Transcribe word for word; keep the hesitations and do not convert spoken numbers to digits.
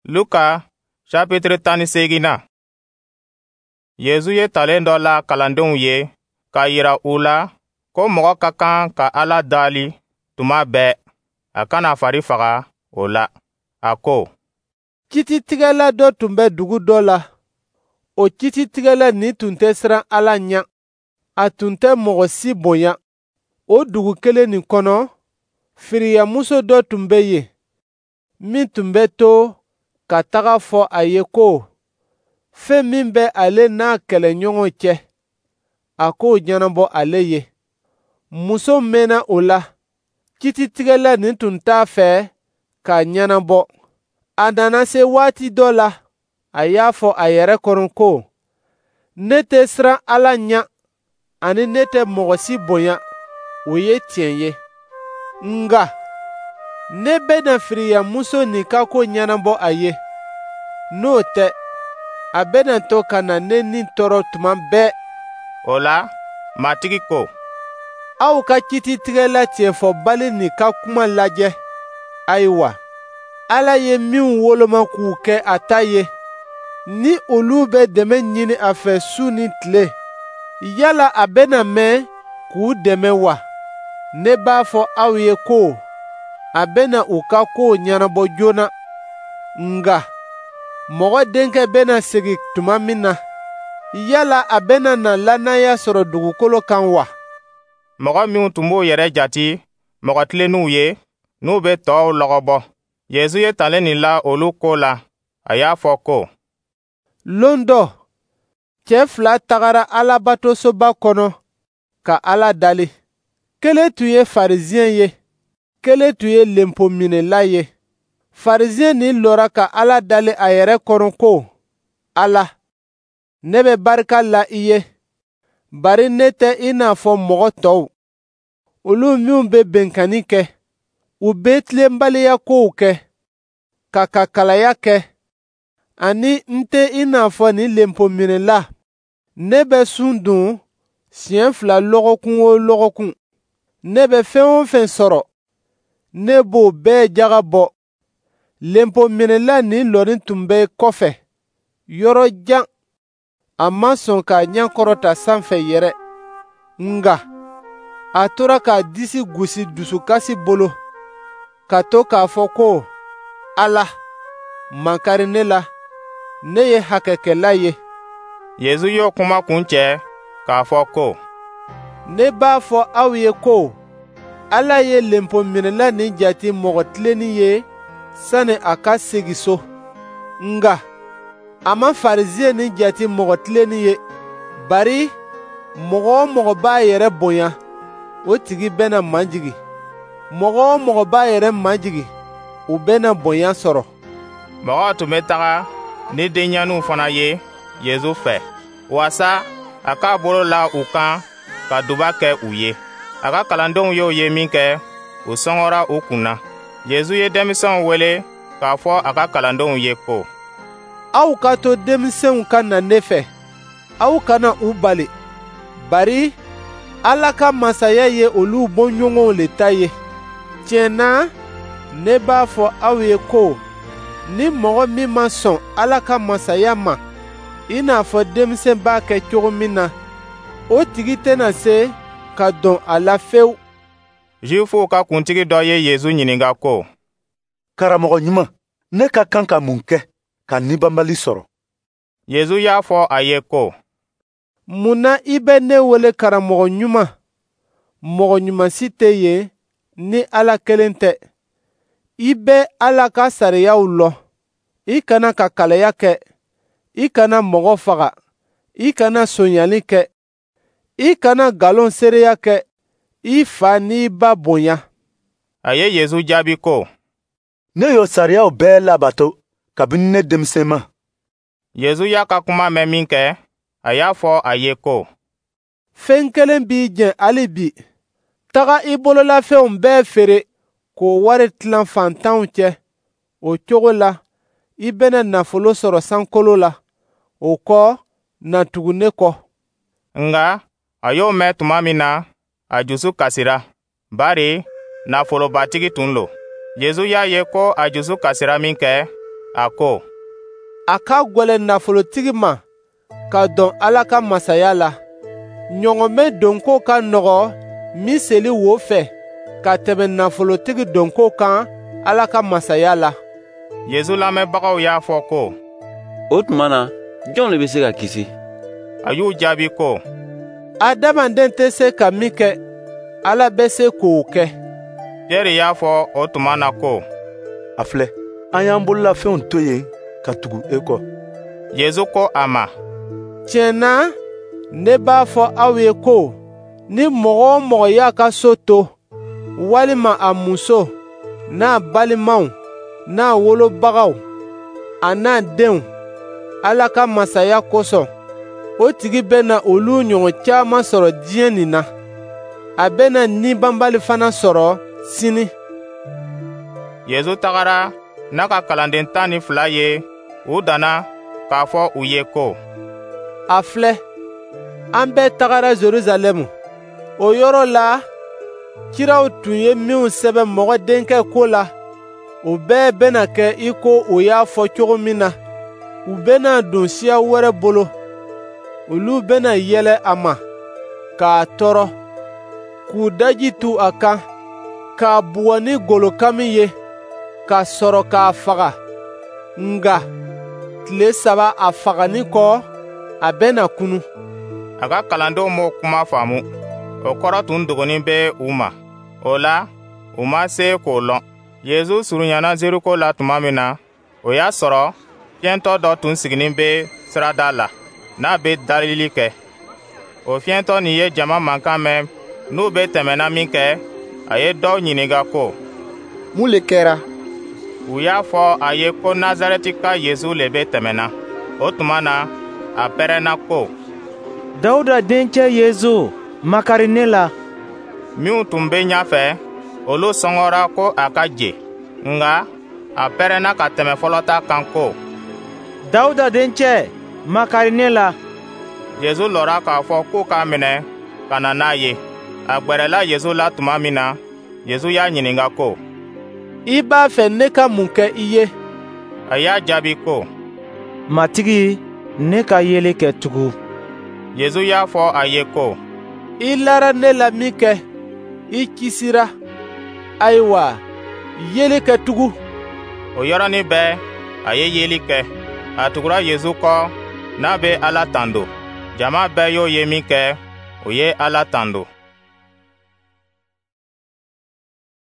Luka chapitre tan ni seeginnan. Yezu ye talen dɔ la kalandenw ye k'a yira u la ko mɔgɔ ka kan ka Ala dali tuma bɛɛ, a kana fari faga o la. A ko: Kititigɛla dɔ tun bɛ dugu dɔ la. O kititigɛla nin tun tɛ siran Ala ɲɛ, a tun tɛ mɔgɔ si bonya. O dugu kelen nin kɔnɔ, firiyamuso dɔ tun bɛ yen min tun bɛ to ka taga fɔ a ye ko fɛn min bɛ ale n'a kɛlɛɲɔgɔn cɛ, a k'o ɲɛnabɔ ale ye. Muso mɛnna o la, kititigɛla nin tun t'a fɛ k'a ɲɛnabɔ. A nana se waati dɔ la, a y'a fɔ a yɛrɛ kɔnɔ ko: "Ne tɛ siran Ala ɲɛ, ani ne tɛ mɔgɔ si bonya, o ye tiɲɛ ye. Nka ne bɛna firiyamuso nin ka ko ɲɛnabɔ a ye. N'o tɛ, a bɛna to ka na ne ni tɔɔrɔ tuma bɛɛ." O la, Matigi ko: "Aw ka kititigɛla tiɲɛfɔbali nin ka kuma lajɛ. Ayiwa, Ala ye minw woloma k'u kɛ a ta ye, ni olu bɛ dɛmɛ ɲini a fɛ su ni tile, yala a bɛna mɛn k'u dɛmɛ wa? Ne b'a fɔ aw ye ko a bɛna u ka kow ɲɛnabɔ joona. Nka Mɔgɔ Denkɛ bɛna segin tuma min na, yala a bɛna na lannaya sɔrɔ dugukolo kan wa?" Mɔgɔ minw tun b'u yɛrɛ jati mɔgɔ tilennenw ye, n'u bɛ tɔw lɔgɔbɔ, Yezu ye talen nin la olu ko la. A y'a fɔ ko: "Lon dɔ, cɛ fila tagara Alabatosoba kɔnɔ ka Ala dali. Kelen tun ye Farisiyɛn ye, kelen tun ye lenpominɛla ye. Farisiyɛn nin lɔra ka Ala dali a yɛrɛ kɔnɔ ko: Ala, ne bɛ barika la i ye, bari ne tɛ i n'a fɔ mɔgɔ tɔw, olu minw bɛ binkanni kɛ, u bɛ tilenbaliya kow kɛ, ka kakalaya kɛ, ani n tɛ i n'a fɔ nin lenpominɛla. Ne bɛ sun dun siɲɛ fila lɔgɔkun o lɔgɔkun. Ne bɛ fɛn o fɛn sɔrɔ, ne b'o bɛɛ jaga bɔ." Lenpominɛla nin lɔnin tun bɛ kɔfɛ, yɔrɔ jan. A ma sɔn k'a ɲɛ kɔrɔta sanfɛ yɛrɛ, nka a tora k'a disi gosi dusukasi bolo, ka to k'a fɔ ko: "Ala, makari ne la, ne ye hakɛkɛla ye." Yezu y'o kuma kuncɛ k'a fɔ ko: "Ne b'a fɔ aw ye ko Ala ye lenpominɛla nin jate mɔgɔ tilennin ye sani a ka segin so. Nka a ma Farisiyɛn nin jate mɔgɔ tilennin ye, bari mɔgɔ o mɔgɔ b'a yɛrɛ bonya, o tigi bɛna majigin. Mɔgɔ o mɔgɔ b'a yɛrɛ majigin, o bɛna bonya sɔrɔ." Mɔgɔw tun bɛ taga ni denɲɛninw fana ye Yezu fɛ, waasa a k'a bolo la u kan ka duba kɛ u ye. A ka kalandenw y'o ye minkɛ, u sɔngɔra u kun na. Yezu ye denmisɛnw wele k'a fɔ a ka kalandenw ye ko: "Aw ka to denmisɛnw ka na ne fɛ, aw kana u bali, bari Ala ka masaya ye olu bɔɲɔgɔnw le ta ye. Tiɲɛ na, ne b'a fɔ aw ye ko ni mɔgɔ min ma sɔn Ala ka masaya ma i n'a fɔ denmisɛn b'a kɛ cogo min na, o tigi tɛna se ka don a la fewu." Zuwifuw ka kuntigi dɔ ye Yezu ɲininka ko: "Karamɔgɔ ɲuman, ne ka kan ka mun kɛ ka nibabali sɔrɔ?" Yezu y'a fɔ a ye ko: "Mun na i bɛ ne wele karamɔgɔ ɲuman? Mɔgɔ ɲuman si tɛ yen ni Ala kelen tɛ. I bɛ Ala ka sariyaw lɔn: I kana kakalaya kɛ, i kana mɔgɔ faga, i kana sonyali kɛ, i kana nkalon seereya kɛ, i fa n'i ba bonya." A ye Yezu jaabi ko: "Ne y'o sariyaw bɛɛ labato kabini ne denmisɛnma." Yezu y'a ka kuma mɛn minkɛ, a y'a fɔ a ye ko: "Fɛn kelen b'i jɛ hali bi. Taga i bololafɛnw bɛɛ feere k'o wari tilan faantanw cɛ. O cogo la, i bɛna nafolo sɔrɔ sankolo la. O kɔ, na tugu ne kɔ." Nka a y'o mɛn tuma min na, a jusu kasira, bari nafolobatigi tun lo. Yezu y'a ye ko a jusu kasira minkɛ, A ko: A ka gwɛlɛn nafolotigi ma ka don Ala ka masaya la. Ɲɔgɔmɛ donko ka nɔgɔ miseli wo fɛ ka tɛmɛ nafolotigi donko kan Ala ka masaya la. Yezu lamɛnbagaw y'a fɔ ko: O tuma na, jɔn le bɛ se ka kisi? A y'u jaabi ko: Adamaden tɛ se ka min kɛ, Ala bɛ se k'o kɛ. Pierɛ y'a fɔ o tuma na ko: A filɛ, an y'an bololafɛnw to yen ka tugu e kɔ. Yezu ko a ma: Tiɲɛ na, ne b'a fɔ aw ye ko ni mɔgɔ o mɔgɔ y'a ka so to, walima a muso, n'a balimaw, n'a wolobagaw, a n'a denw, Ala ka masaya kosɔn, o tigi bɛna olu ɲɔgɔn caman sɔrɔ diɲɛ nin na. A bɛna ni banbali fana sɔrɔ sini. Yezu tagara n'a ka kalanden tan ni fila ye u danna k'a fɔ u ye ko: A filɛ, an bɛɛ tagara Jerusalɛmu. O yɔrɔ la, kiraw tun ye minw sɛbɛn Mɔgɔ Denkɛ ko la, o bɛɛ bɛna kɛ i ko o y'a fɔ cogo min na. U bɛna don siya wɛrɛ bolo. Olu bɛna yɛlɛ a ma, k'a tɔɔrɔ, k'u daji tu a kan, k'a bugɔ ni golokami ye, ka sɔrɔ k'a faga. Nka tile saba a fagali kɔ, a bɛna kunu. A ka kalandenw m'o kuma faamu. O kɔrɔ tun dogonin bɛ u ma. O la, u ma se k'o lɔn. Yezu surunyana Zeriko la tuma min na, o y'a sɔrɔ fiyɛntɔ dɔ tun siginin bɛ sirada la, n'a bɛ dalili kɛ. O fiyɛntɔ nin ye jama mankan mɛn n'u bɛ tɛmɛna minkɛ, a ye dɔw ɲininka ko: Mun le kɛra? U y'a fɔ a ye ko Nazarɛtika Yezu le bɛ tɛmɛna. O tuma na, a pɛrɛnna ko: Dawuda dencɛ Yezu, makari ne la. Minw tun bɛ ɲɛfɛ, olu sɔngɔra ko a ka je. Nka a pɛrɛnna ka tɛmɛ fɔlɔ ta kan ko: Dawuda dencɛ, makari ne la. Yezu lɔra k'a fɔ k'u k'a minɛ ka na n'a ye. A gwɛrɛla Yezu la tuma min na, Yezu y'a ɲininka ko: I b'a fɛ ne ka mun kɛ i ye? A y'a jaabi ko: Matigi, ne ka yeli kɛ tugun. Yezu y'a fɔ a ye ko: I lara ne la minkɛ, i kisira. Ayiwa, yeli kɛ tugun. O yɔrɔnin bɛɛ, a ye yeli kɛ. A tugura Yezu kɔ n'a bɛ Ala tando. Jama bɛɛ y'o ye minkɛ, o ye Ala tando.